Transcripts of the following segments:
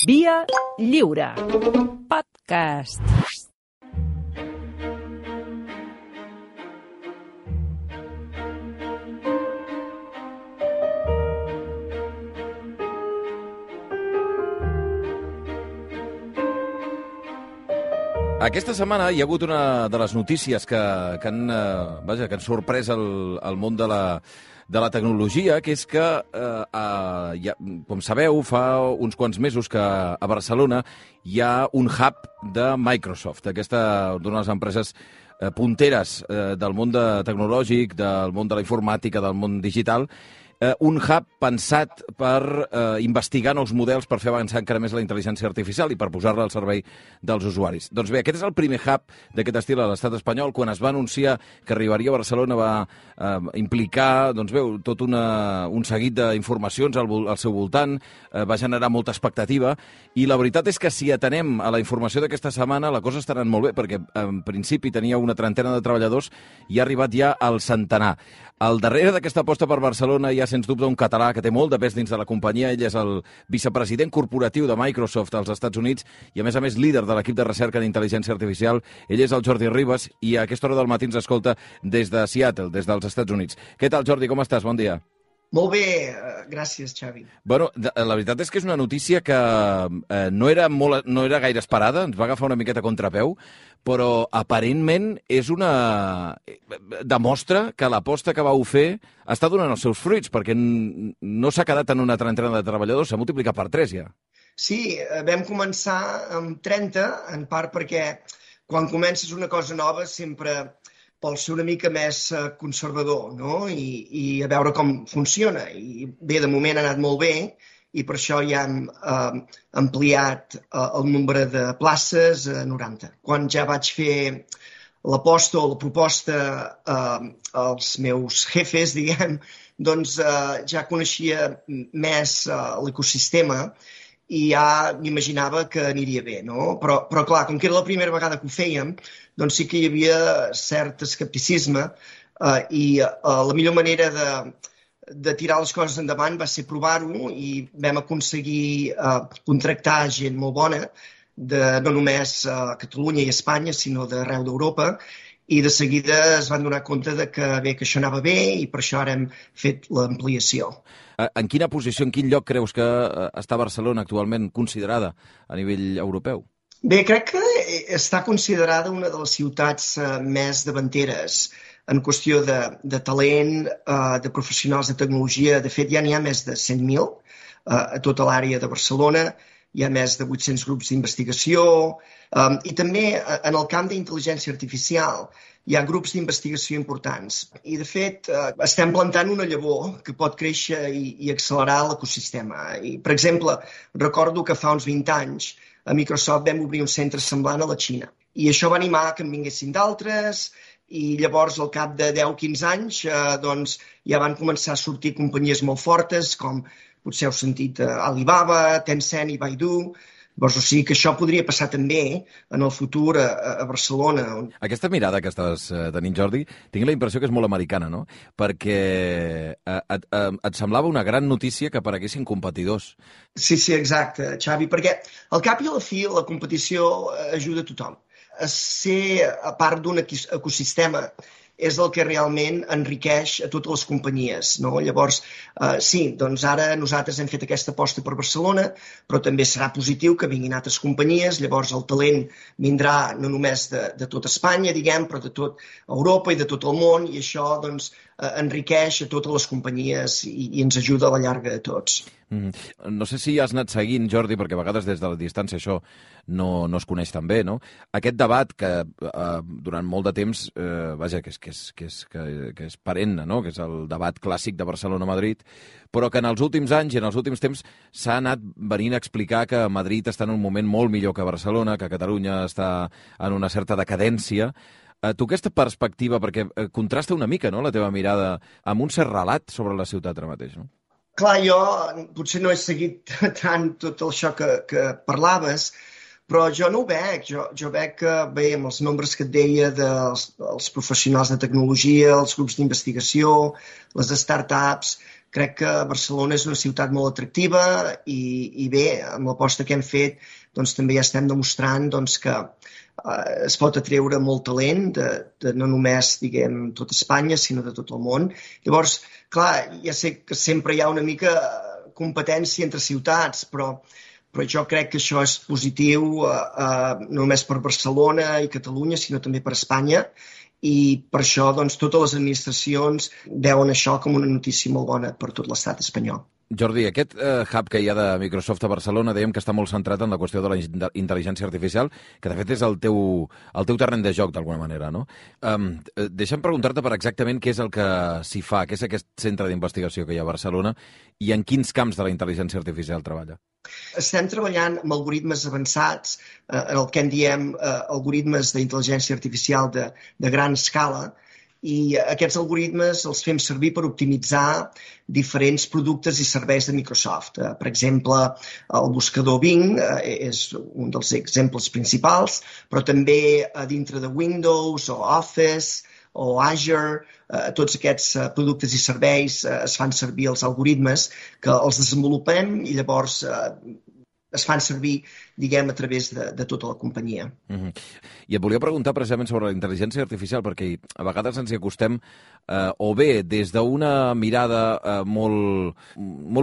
Via Lliure. Podcast. Aquesta setmana hi ha hagut una de les notícies que han sorprès el món de la tecnologia, que és que, com sabeu, fa uns quants mesos que a Barcelona hi ha un hub de Microsoft, d'una de les empreses punteres del món tecnològic, del món de la informàtica, del món digital, un hub pensat per investigar nous models per fer avançar encara més la intel·ligència artificial i per posar-la al servei dels usuaris. Doncs bé, aquest és el primer hub d'aquest estil a l'estat espanyol. Quan es va anunciar que arribaria a Barcelona va implicar tot un seguit d'informacions al seu voltant, va generar molta expectativa i la veritat és que si atenem a la informació d'aquesta setmana la cosa està anant molt bé perquè en principi tenia una trentena de treballadors i ha arribat ja al centenar. Al darrere d'aquesta aposta per Barcelona hi ha, sens dubte, un català que té molt de pes dins de la companyia. Ell és el vicepresident corporatiu de Microsoft als Estats Units i, a més, líder de l'equip de recerca en intel·ligència artificial. Ell és el Jordi Ribas i a aquesta hora del matí ens escolta des de Seattle, des dels Estats Units. Què tal, Jordi? Com estàs? Bon dia. Molt bé, gràcies, Xavi. Bueno, la veritat és que és una notícia que no era gaire esperada, ens va agafar una miqueta a contrapeu, però aparentment demostra que l'aposta que vau fer està donant els seus fruits, perquè no s'ha quedat en una trentena de treballadors, s'ha multiplicat per 3 ja. Sí, vam començar amb 30, en part perquè quan comences una cosa nova sempre vol ser una mica més conservador, no? I a veure com funciona. I bé, de moment ha anat molt bé i per això ja hem ampliat el nombre de places a 90. Quan ja vaig fer l'aposta o la proposta als meus jefes, diguem, doncs ja coneixia més l'ecosistema i ja m'imaginava que aniria bé, no? Però clar, com que era la primera vegada que ho fèiem, doncs sí que hi havia cert escepticisme i la millor manera de tirar les coses endavant va ser provar-ho i vam aconseguir contractar gent molt bona, no només a Catalunya i Espanya, sinó d'arreu d'Europa, i de seguida es van donar compte que això anava bé i per això ara hem fet l'ampliació. En quina posició, en quin lloc creus que està Barcelona actualment considerada a nivell europeu? Bé, crec que està considerada una de les ciutats més davanteres en qüestió de talent, de professionals de tecnologia. De fet, ja n'hi ha més de 100.000 a tota l'àrea de Barcelona. Hi ha més de 800 grups d'investigació i també en el camp d'intel·ligència artificial hi ha grups d'investigació importants. I, de fet, estem plantant una llavor que pot créixer i accelerar l'ecosistema. Per exemple, recordo que fa uns 20 anys a Microsoft vam obrir un centre semblant a la Xina. I això va animar que en vinguessin d'altres i llavors, al cap de 10-15 anys, doncs, ja van començar a sortir companyies molt fortes com potser heu sentit Alibaba, Tencent i Baidu. Llavors, o sigui que això podria passar també en el futur a Barcelona. Aquesta mirada que estàs tenint, Jordi, tinc la impressió que és molt americana, no? Perquè et semblava una gran notícia que apareguessin competidors. Sí, exacte, Xavi, perquè al cap i a la fi la competició ajuda a tothom. Ser a part d'un ecosistema és el que realment enriqueix a totes les companyies, no? Llavors, sí, doncs ara nosaltres hem fet aquesta aposta per Barcelona, però també serà positiu que vinguin altres companyies, llavors el talent vindrà no només de tot Espanya, diguem, però de tot Europa i de tot el món, i això, doncs, enriqueix a totes les companyies i ens ajuda a la llarga de tots. No sé si has anat seguint, Jordi, perquè a vegades des de la distància això no es coneix tan bé, no? Aquest debat que durant molt de temps, que és perenne, no? Que és el debat clàssic de Barcelona-Madrid, però que en els últims anys i en els últims temps s'ha anat venint a explicar que Madrid està en un moment molt millor que Barcelona, que Catalunya està en una certa decadència. Tu aquesta perspectiva, perquè contrasta una mica, no?, la teva mirada amb un cert relat sobre la ciutat ara mateix, no? Clar, jo potser no he seguit tant tot això que parlaves, però jo no ho veig. Jo veig que, bé, amb els nombres que et deia dels professionals de tecnologia, els grups d'investigació, les startups, crec que Barcelona és una ciutat molt atractiva i bé, amb l'aposta que hem fet doncs, també ja estem demostrant doncs, que es pot atreure molt talent de no només, diguem, tot Espanya, sinó de tot el món. Llavors, clar, ja sé que sempre hi ha una mica competència entre ciutats, però jo crec que això és positiu no només per Barcelona i Catalunya, sinó també per Espanya, i per això doncs, totes les administracions veuen això com una notícia molt bona per tot l'estat espanyol. Jordi, aquest hub que hi ha de Microsoft a Barcelona dèiem que està molt centrat en la qüestió de la intel·ligència artificial, que de fet és el teu terreny de joc, d'alguna manera, no? Deixa'm preguntar-te per exactament què és el que s'hi fa, què és aquest centre d'investigació que hi ha a Barcelona i en quins camps de la intel·ligència artificial treballa. Estem treballant amb algoritmes avançats, en el que en diem algoritmes d'intel·ligència artificial de gran escala, i aquests algoritmes els fem servir per optimitzar diferents productes i serveis de Microsoft. Per exemple, el buscador Bing és un dels exemples principals, però també dintre de Windows o Office o Azure, tots aquests productes i serveis es fan servir els algoritmes que els desenvolupem i llavors es fan servir, diguem, a través de tota la companyia. I et volia preguntar precisament sobre la intel·ligència artificial, perquè a vegades ens hi acostem o bé des d'una mirada molt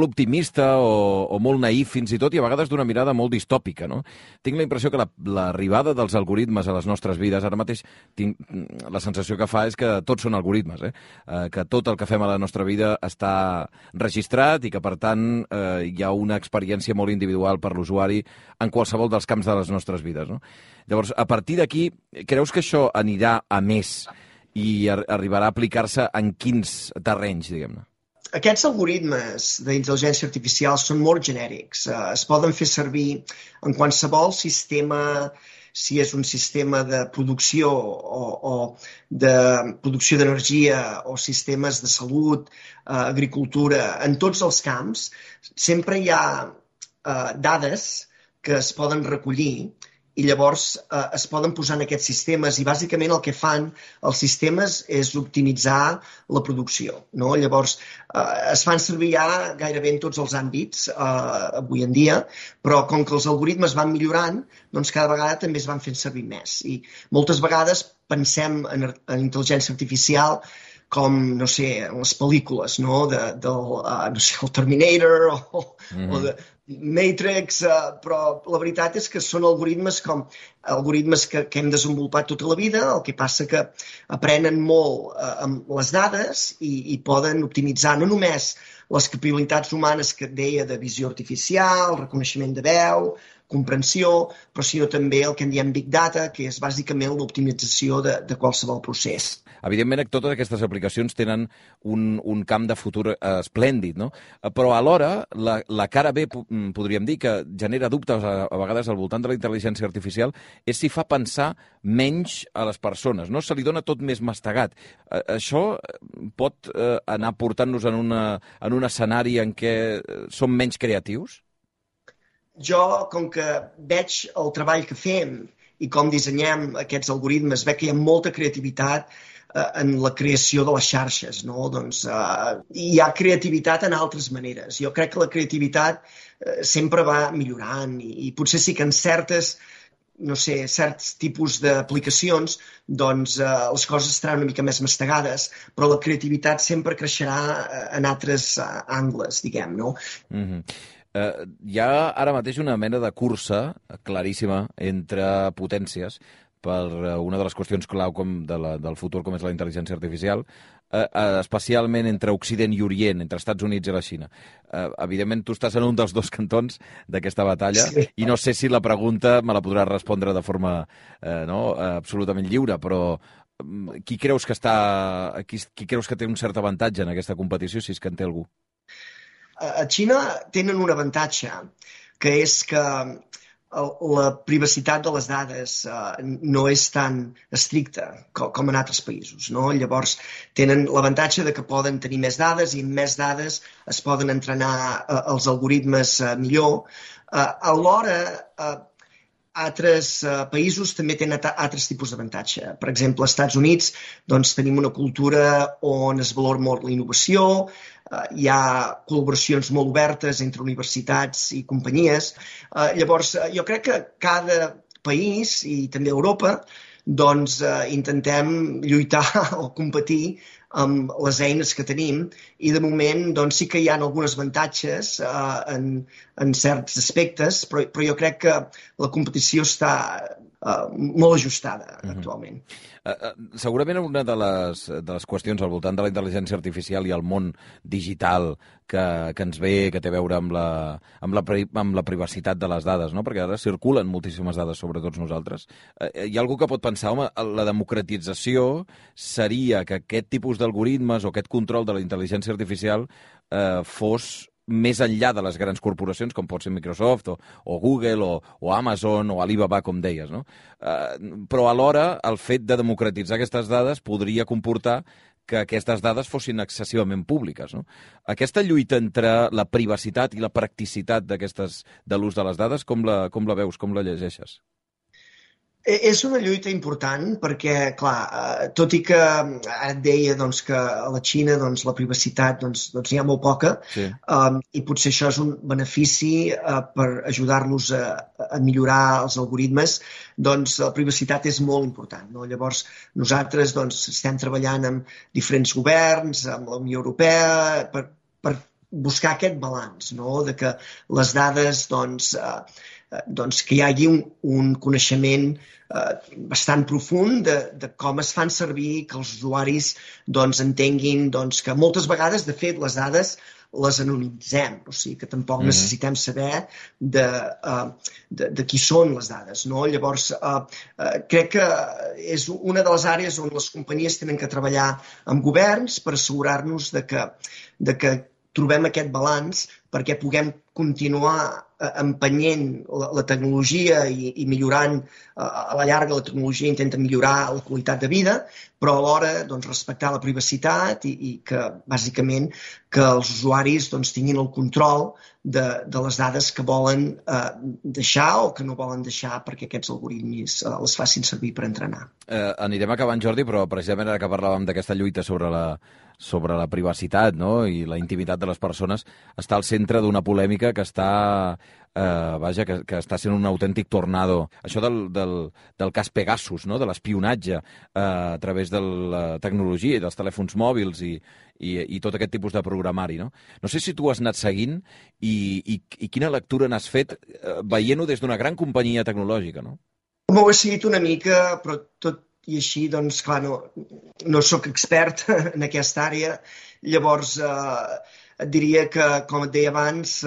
optimista o molt naïf fins i tot, i a vegades d'una mirada molt distòpica, no? Tinc la impressió que l'arribada dels algoritmes a les nostres vides, ara mateix tinc la sensació que fa és que tots són algoritmes, que tot el que fem a la nostra vida està registrat i que, per tant, hi ha una experiència molt individual per l'usuari en qualsevol dels camps de les nostres vides, no? Llavors, a partir d'aquí, creus que això anirà a més i arribarà a aplicar-se en quins terrenys, diguem-ne? Aquests algoritmes d'intel·ligència artificial són molt genèrics. Es poden fer servir en qualsevol sistema, si és un sistema de producció o de producció d'energia o sistemes de salut, agricultura, en tots els camps, sempre hi ha dades que es poden recollir i llavors es poden posar en aquests sistemes i bàsicament el que fan els sistemes és optimitzar la producció, no? Llavors es fan servir ja gairebé en tots els àmbits avui en dia, però com que els algoritmes van millorant, doncs cada vegada també es van fent servir més. I moltes vegades pensem en intel·ligència artificial com, no sé, en les pel·lícules, no? No sé, el Terminator o de Matrix, però la veritat és que són algoritmes que hem desenvolupat tota la vida, el que passa que aprenen molt amb les dades i poden optimitzar no només les capacitats humanes que et deia de visió artificial, reconeixement de veu, comprensió, però sinó també el que en diem Big Data, que és bàsicament l'optimització de qualsevol procés. Evidentment, totes aquestes aplicacions tenen un camp de futur esplèndid, no? Però alhora, la cara B, podríem dir, que genera dubtes a vegades al voltant de la intel·ligència artificial, és si fa pensar menys a les persones, no? Se li dona tot més mastegat. Això pot anar portant-nos en un escenari en què som menys creatius? Jo, com que veig el treball que fem i com dissenyem aquests algoritmes, veig que hi ha molta creativitat en la creació de les xarxes, no? Doncs hi ha creativitat en altres maneres. Jo crec que la creativitat sempre va millorant i potser sí que en certs tipus d'aplicacions doncs les coses estaran una mica més mastegades, però la creativitat sempre creixerà en altres angles, diguem, no? Hi ha ara mateix una mena de cursa claríssima entre potències per una de les qüestions clau del futur, com és la intel·ligència artificial, especialment entre Occident i Orient, entre Estats Units i la Xina. Evidentment, tu estàs en un dels dos cantons d'aquesta batalla, sí. I no sé si la pregunta me la podràs respondre de forma absolutament lliure, però qui creus que té un cert avantatge en aquesta competició, si és que en té algú? A Xina tenen un avantatge, que és que la privacitat de les dades no és tan estricta com en altres països, no? Llavors tenen l'avantatge de que poden tenir més dades i amb més dades es poden entrenar els algoritmes millor. Alhora, altres països també tenen altres tipus d'avantatge. Per exemple, als Estats Units doncs, tenim una cultura on es valora molt la innovació, hi ha col·laboracions molt obertes entre universitats i companyies. Llavors, jo crec que cada país, i també Europa, doncs intentem lluitar o competir amb les eines que tenim i de moment doncs, sí que hi ha alguns avantatges en certs aspectes, però jo crec que la competició està molt ajustada actualment. Segurament una de les qüestions al voltant de la intel·ligència artificial i el món digital que ens ve, que té a veure amb la privacitat de les dades, no? Perquè ara circulen moltíssimes dades sobre tots nosaltres. Hi ha algú que pot pensar, home, la democratització seria que aquest tipus d'algoritmes o aquest control de la intel·ligència artificial fos més enllà de les grans corporacions, com pot ser Microsoft o Google o Amazon o Alibaba, com deies, no? Però alhora el fet de democratitzar aquestes dades podria comportar que aquestes dades fossin excessivament públiques, no? Aquesta lluita entre la privacitat i la practicitat de l'ús de les dades, com la veus, com la llegeixes? És una lluita important perquè, clar, tot i que ara et deia doncs, que a la Xina doncs, la privacitat doncs, n'hi ha molt poca, sí. I potser això és un benefici per ajudar-los a millorar els algoritmes, doncs la privacitat és molt important, no? Llavors, nosaltres doncs, estem treballant amb diferents governs, amb la Unió Europea, per buscar aquest balanç, no? De que les dades doncs, que hi hagi un coneixement bastant profund de com es fan servir, que els usuaris doncs, entenguin doncs, que moltes vegades, de fet, les dades les anonimitzem, o sigui que tampoc necessitem saber de qui són les dades, no? Llavors, crec que és una de les àrees on les companyies tenen que treballar amb governs per assegurar-nos de que trobem aquest balanç perquè puguem continuar empenyent la tecnologia i millorant, a la llarga la tecnologia intenta millorar la qualitat de vida, però alhora doncs, respectar la privacitat i que, bàsicament, que els usuaris doncs, tinguin el control de les dades que volen deixar o que no volen deixar perquè aquests algoritmes les facin servir per entrenar. Anirem acabant, Jordi, però precisament ara que parlàvem d'aquesta lluita sobre la privacitat, no? I la intimitat de les persones, està al centre d'una polèmica que està que està sent un autèntic tornado. Això del cas Pegasus, no? De l'espionatge a través de la tecnologia i dels telèfons mòbils i tot aquest tipus de programari, no? No sé si tu has anat seguint i quina lectura n'has fet veient-ho des d'una gran companyia tecnològica, no? M'ho he seguit una mica, però tot i així, doncs, clar, no soc expert en aquesta àrea. Llavors, et diria que, com et deia abans,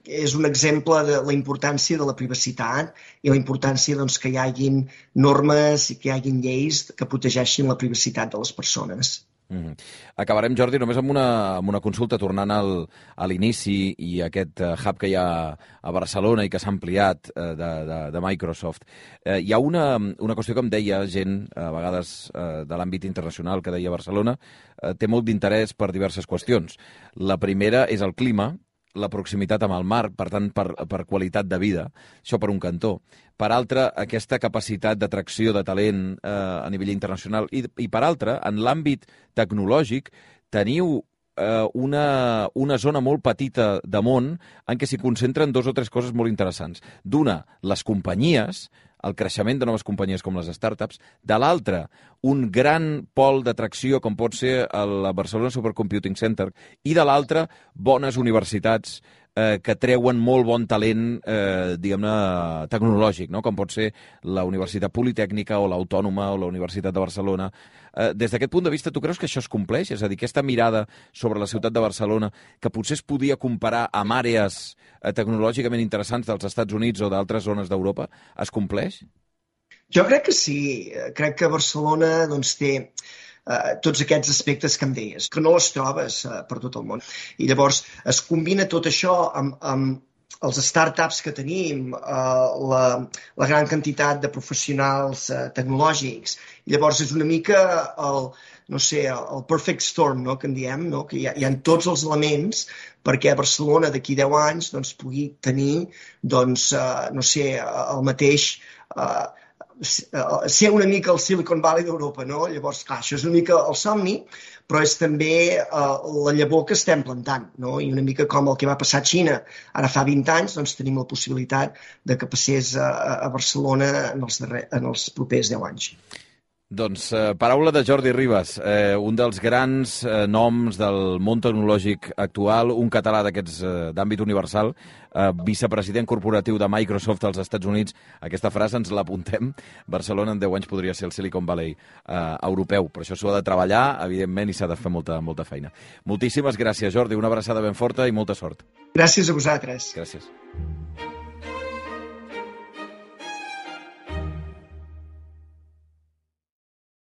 és un exemple de la importància de la privacitat i la importància doncs, que hi hagin normes i que hi hagin lleis que protegeixin la privacitat de les persones. Acabarem, Jordi, només amb una consulta, tornant a l'inici i aquest hub que hi ha a Barcelona i que s'ha ampliat de Microsoft. Hi ha una qüestió que em deia gent, a vegades de l'àmbit internacional, que deia Barcelona, té molt d'interès per diverses qüestions. La primera és el clima, la proximitat amb el mar, per tant, per qualitat de vida, això per un cantó. Per altre, aquesta capacitat d'atracció de talent a nivell internacional. I per altre, en l'àmbit tecnològic, teniu una zona molt petita de món en què s'hi concentren dos o tres coses molt interessants. D'una, les companyies, el creixement de noves companyies com les startups, de l'altra, un gran pol d'atracció com pot ser el Barcelona Supercomputing Center, i de l'altra, bones universitats que treuen molt bon talent, diguem-ne, tecnològic, no? Com pot ser la Universitat Politècnica o l'Autònoma o la Universitat de Barcelona. Des d'aquest punt de vista, tu creus que això es compleix? És a dir, aquesta mirada sobre la ciutat de Barcelona, que potser es podia comparar amb àrees tecnològicament interessants dels Estats Units o d'altres zones d'Europa, es compleix? Jo crec que sí. Crec que Barcelona doncs, té tots aquests aspectes que em deies, que no les trobes per tot el món. I llavors es combina tot això amb els startups que tenim, la gran quantitat de professionals tecnològics. I llavors és una mica el perfect storm, no? Que en diem, no? Que hi ha tots els elements perquè Barcelona d'aquí 10 anys doncs, pugui tenir el mateix ser una mica el Silicon Valley d'Europa, no? Llavors, clar, això és una mica el somni, però és també la llavor que estem plantant, no? I una mica com el que va passar a Xina ara fa 20 anys, doncs tenim la possibilitat de que passés a Barcelona en els propers 10 anys. Doncs paraula de Jordi Ribas, un dels grans noms del món tecnològic actual, un català d'aquests d'àmbit universal, vicepresident corporatiu de Microsoft als Estats Units. Aquesta frase ens l'apuntem. Barcelona en 10 anys podria ser el Silicon Valley europeu, però això s'ho ha de treballar, evidentment, i s'ha de fer molta feina. Moltíssimes gràcies, Jordi, una abraçada ben forta i molta sort. Gràcies a vosaltres. Gràcies.